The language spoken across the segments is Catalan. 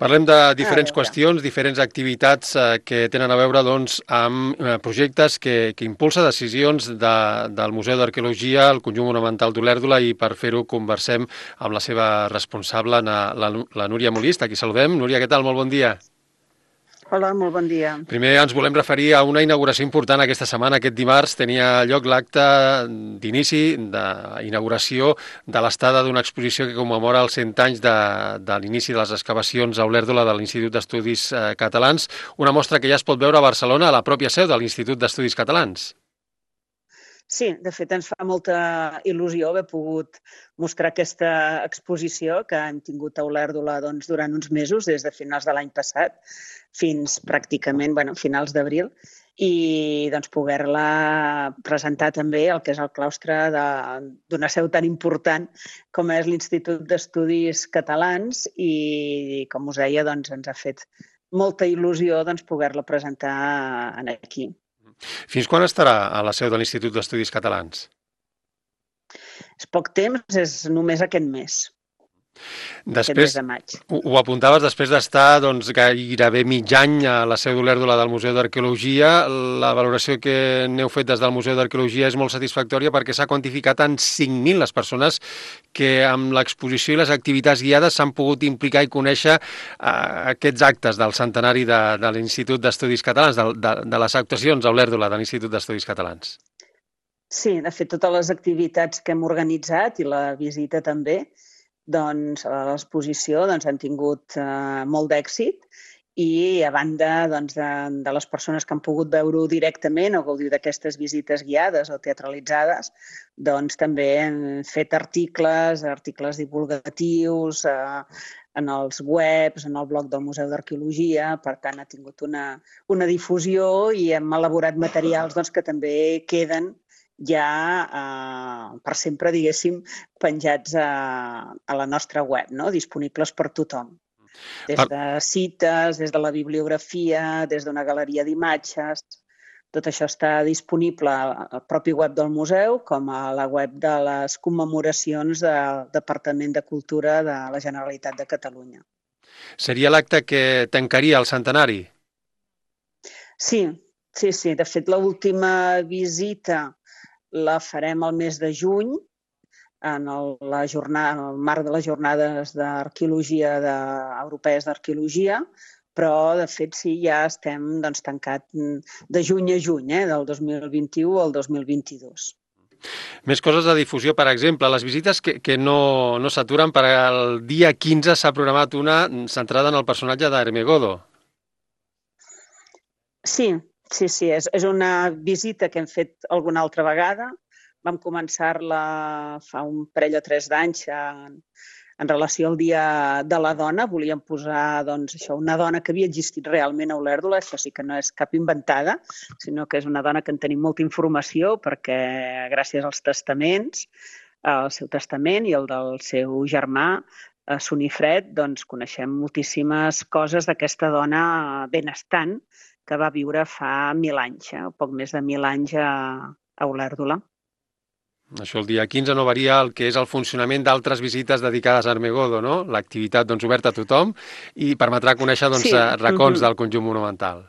Parlem de A diferents veure, qüestions, diferents activitats que tenen a veure amb projectes que impulsa decisions del Museu d'Arqueologia, el Conjunt Monumental d'Olèrdola, i per fer-ho conversem amb la seva responsable, la Núria Molist. Aquí saludem. Núria, què tal? Molt bon dia. hola, molt bon dia. Primer ens volem referir a una inauguració important aquesta setmana. Aquest dimarts tenia lloc l'acte d'inici, d'inauguració de l'estada d'una exposició que commemora els 100 anys de l'inici de les excavacions a Olèrdola de l'Institut d'Estudis Catalans, una mostra que ja es pot veure a Barcelona, a la pròpia seu de l'Institut d'Estudis Catalans. Sí, de fet ens fa molta il·lusió haver pogut mostrar aquesta exposició que hem tingut a Olèrdola durant uns mesos, des de finals de l'any passat fins pràcticament finals d'abril, i poder-la presentar també el que és el claustre d'una seu tan important com és l'Institut d'Estudis Catalans, i com us deia, ens ha fet molta il·lusió poder-la presentar aquí. Fins quan estarà a la seu de l'Institut d'Estudis Catalans? És poc temps, és només aquest mes Després, de maig. ho apuntaves, després d'estar gairebé mig any a la seu d'Olèrdola del Museu d'Arqueologia, la valoració que n'heu fet des del Museu d'Arqueologia és molt satisfactòria perquè s'ha quantificat en 5.000 les persones que amb l'exposició i les activitats guiades s'han pogut implicar i conèixer aquests actes del centenari de l'Institut d'Estudis Catalans, de les actuacions a Olèrdola de l'Institut d'Estudis Catalans. Sí, de fet, totes les activitats que hem organitzat i la visita també, a l'exposició han tingut molt d'èxit, i a banda de les persones que han pogut veure-ho directament o gaudir d'aquestes visites guiades o teatralitzades, també hem fet articles divulgatius en els webs, en el blog del Museu d'Arqueologia. Per tant, ha tingut una difusió i hem elaborat materials que també queden ja per sempre, diguéssim, penjats a la nostra web, disponibles per tothom. Des de cites, des de la bibliografia, des d'una galeria d'imatges. Tot això està disponible al propi web del museu com a la web de les commemoracions del Departament de Cultura de la Generalitat de Catalunya. Seria l'acte que tancaria el centenari? Sí. De fet, l'última visita la farem al mes de juny, en el marc de les jornades d'arqueologia europees d'arqueologia, però, de fet, sí, ja estem tancat de juny a juny, del 2021 al 2022. Més coses de difusió, per exemple, les visites que no s'aturen. Per al dia 15 s'ha programat una centrada en el personatge d'Ermegodo. Sí, és una visita que hem fet alguna altra vegada. Vam començar-la fa un parell o 3 d'anys en relació al Dia de la Dona. Volíem posar una dona que havia existit realment a Olèrdola. Això sí que no és cap inventada, sinó que és una dona que en tenim molta informació perquè gràcies als testaments, el seu testament i el del seu germà, Sonifred, coneixem moltíssimes coses d'aquesta dona benestant que va viure fa 1.000 anys, poc més de 1.000 anys a Olèrdola. Això el dia 15 no varia el que és el funcionament d'altres visites dedicades a Ermegodo, no? L'activitat oberta a tothom i permetrà conèixer racons del conjunt monumental.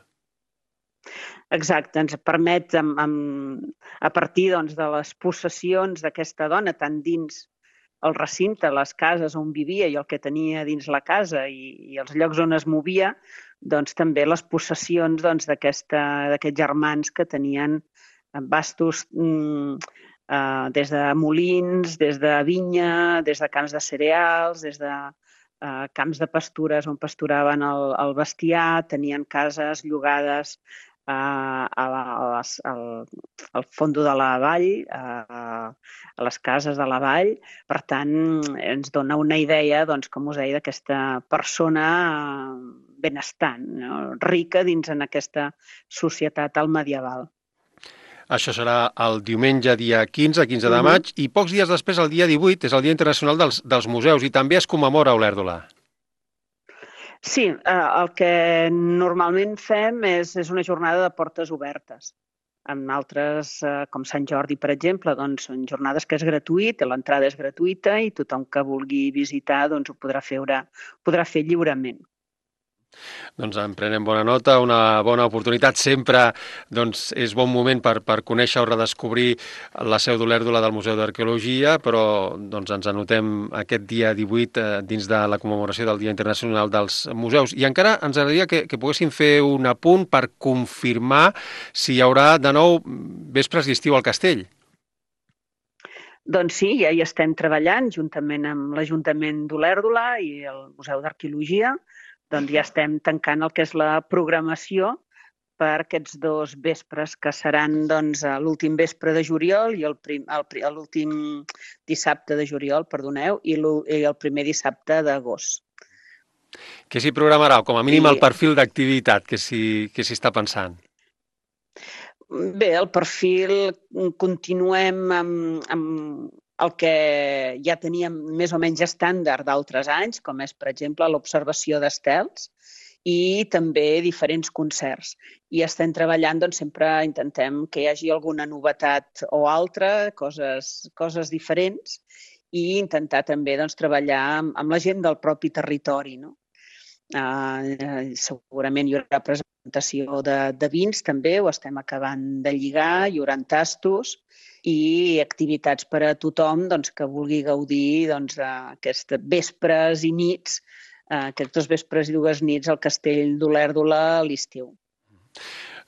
Exacte, ens permet, a partir de les possessions d'aquesta dona, tant dins el recinte, les cases on vivia i el que tenia dins la casa i els llocs on es movia, també les possessions d'aquests germans que tenien vastos des de molins, des de vinya, des de camps de cereals, des de camps de pastures on pasturaven el bestiar, tenien cases llogades al fondo de la vall, a les cases de la vall. Per tant, ens dona una idea, com us deia, d'aquesta persona benestant, rica dins en aquesta societat altmedieval. Això serà el diumenge, dia 15 de maig, i pocs dies després, el dia 18, és el Dia Internacional dels Museus, i també es commemora a Olèrdola. Sí, el que normalment fem és una jornada de portes obertes. En altres, com Sant Jordi, per exemple, són jornades que és gratuït, l'entrada és gratuïta i tothom que vulgui visitar ho podrà fer lliurement. Doncs en prenem bona nota, una bona oportunitat. Sempre doncs, és bon moment per conèixer o redescobrir la seu d'Olèrdola del Museu d'Arqueologia, però doncs, ens anotem aquest dia 18 dins de la commemoració del Dia Internacional dels Museus. I encara ens agradaria que poguéssim fer un apunt per confirmar si hi haurà de nou vespres d'estiu al castell. Doncs sí, ja hi estem treballant juntament amb l'Ajuntament d'Olèrdola i el Museu d'Arqueologia. Doncs ja estem tancant el que és la programació per aquests 2 vespres que seran doncs, l'últim vespre de juliol i l'últim dissabte de juliol, perdoneu, i el primer dissabte d'agost. Què s'hi programarà, o com a mínim el I perfil d'activitat que s'hi està pensant? bé, el perfil continuem amb el que ja teníem més o menys estàndard d'altres anys, com és, per exemple, l'observació d'estels i també diferents concerts. I estem treballant, doncs sempre intentem que hi hagi alguna novetat o altra, coses diferents, i intentar també doncs, treballar amb la gent del propi territori, no? Segurament hi haurà presentació de vins també, ho estem acabant de lligar, hi haurà tastos i activitats per a tothom doncs, que vulgui gaudir doncs, d'aquestes vespres i nits, aquests 2 vespres i 2 nits al castell d'Olèrdola a l'estiu.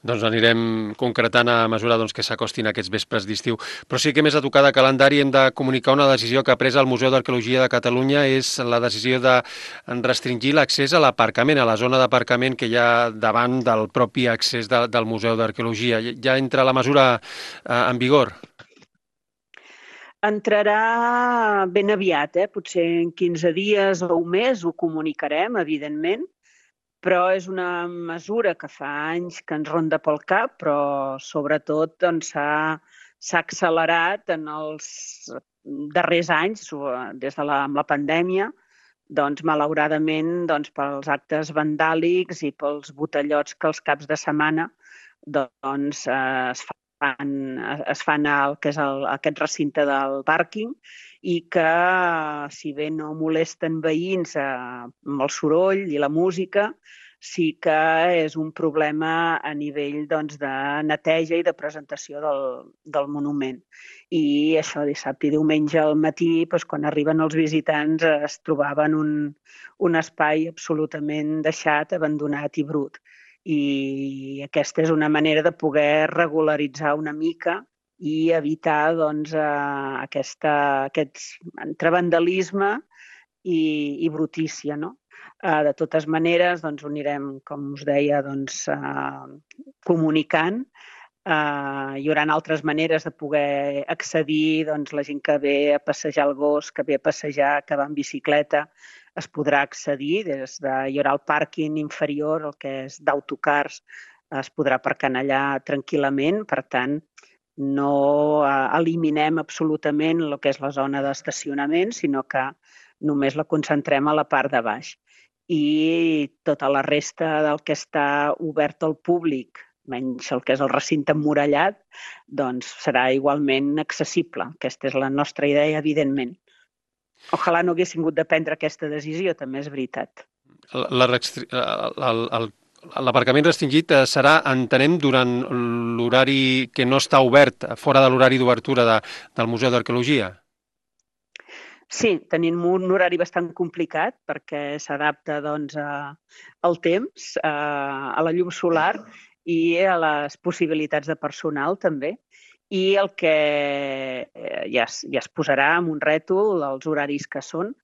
Doncs anirem concretant a mesura doncs, que s'acostin aquests vespres d'estiu. Però sí que més a tocar de calendari hem de comunicar una decisió que ha pres el Museu d'Arqueologia de Catalunya, és la decisió de restringir l'accés a l'aparcament, a la zona d'aparcament que hi ha davant del propi accés del Museu d'Arqueologia. Ja entra la mesura en vigor? Entrarà ben aviat, potser en 15 dies o un mes, ho comunicarem, evidentment, però és una mesura que fa anys que ens ronda pel cap, però sobretot doncs, s'ha accelerat en els darrers anys, des de amb la pandèmia, doncs, malauradament, doncs, pels actes vandàlics i pels botellots que els caps de setmana doncs, es fan el que és aquest recinte del pàrquing i que, si bé no molesten veïns amb el soroll i la música, sí que és un problema a nivell doncs, de neteja i de presentació del monument. I això, dissabte i diumenge al matí, doncs, quan arriben els visitants, es trobaven un espai absolutament deixat, abandonat i brut. I aquesta és una manera de poder regularitzar una mica i evitar doncs, aquest entre vandalisme i brutícia, no? De totes maneres, doncs, ho anirem, com us deia, doncs, comunicant. Hi haurà altres maneres de poder accedir, doncs, la gent que ve a passejar el gos, que ve a passejar, que va en bicicleta, es podrà accedir hi haurà el pàrquing inferior, el que és d'autocars, es podrà aparcar allà tranquil·lament, per tant, no eliminem absolutament el que és la zona d'estacionament, sinó que només la concentrem a la part de baix. I tota la resta del que està obert al públic, menys el que és el recinte emmurallat, doncs serà igualment accessible. Aquesta és la nostra idea, evidentment. Ojalà no haguéssim hagut de prendre aquesta decisió, també és veritat. L'aparcament restringit serà, entenem, durant l'horari que no està obert, fora de l'horari d'obertura del Museu d'Arqueologia? Sí, tenim un horari bastant complicat perquè s'adapta doncs, al temps, a la llum solar i a les possibilitats de personal també. I el que ja es posarà en un rètol els horaris que són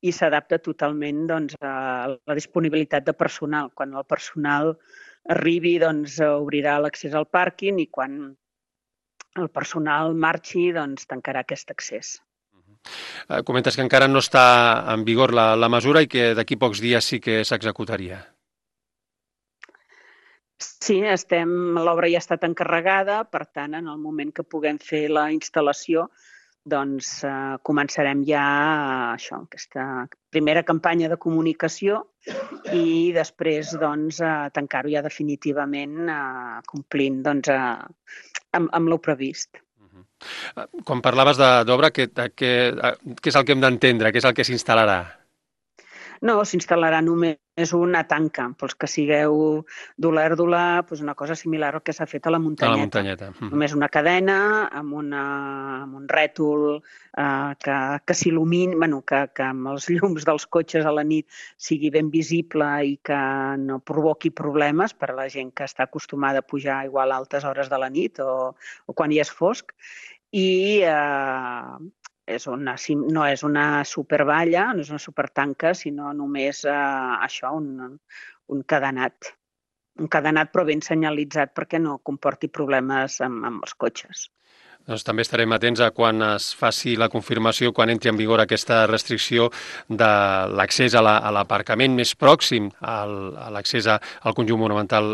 i s'adapta totalment doncs, a la disponibilitat de personal. Quan el personal arribi, doncs, obrirà l'accés al pàrquing i quan el personal marxi, doncs, tancarà aquest accés. Comentes que encara no està en vigor la mesura i que d'aquí pocs dies sí que s'executaria. Sí, l'obra ja ha estat encarregada, per tant, en el moment que puguem fer la instal·lació, doncs començarem ja aquesta primera campanya de comunicació i després doncs, tancar-ho ja definitivament complint doncs, amb el previst. Quan parlaves d'obra, què és el que hem d'entendre? Què és el que s'instal·larà? No, s'instal·larà només una tanca. Pels que sigueu d'Olèrdola, doncs una cosa similar al que s'ha fet a la A la muntanyeta. muntanyeta. Només una cadena amb un rètol que s'il·lumini, bueno, que amb els llums dels cotxes a la nit sigui ben visible i que no provoqui problemes per a la gent que està acostumada a pujar igual a altes hores de la nit o quan hi és fosc. I no és una supervalla, no és una supertanca, sinó només això, un cadenat. Un cadenat però ben senyalitzat perquè no comporti problemes amb els cotxes. Doncs també estarem atents a quan es faci la confirmació, quan entri en vigor aquesta restricció de l'accés a l'aparcament més pròxim a l'accés al conjunt monumental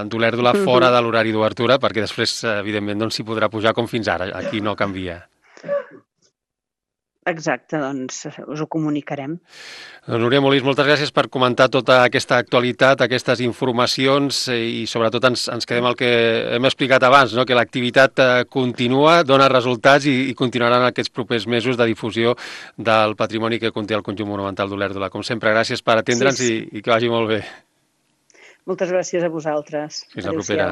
d'Olèrdola fora de l'horari d'obertura, perquè després, evidentment, s'hi podrà pujar com fins ara. Aquí no canvia. Exacte, doncs us ho comunicarem. Núria Molís, moltes gràcies per comentar tota aquesta actualitat, aquestes informacions i sobretot ens quedem al que hem explicat abans, no? Que l'activitat continua, dona resultats i continuaran aquests propers mesos de difusió del patrimoni que conté el conjunt monumental d'Olèrdola. Com sempre, gràcies per atendre'ns i que vagi molt bé. Moltes gràcies a vosaltres. Fins la propera.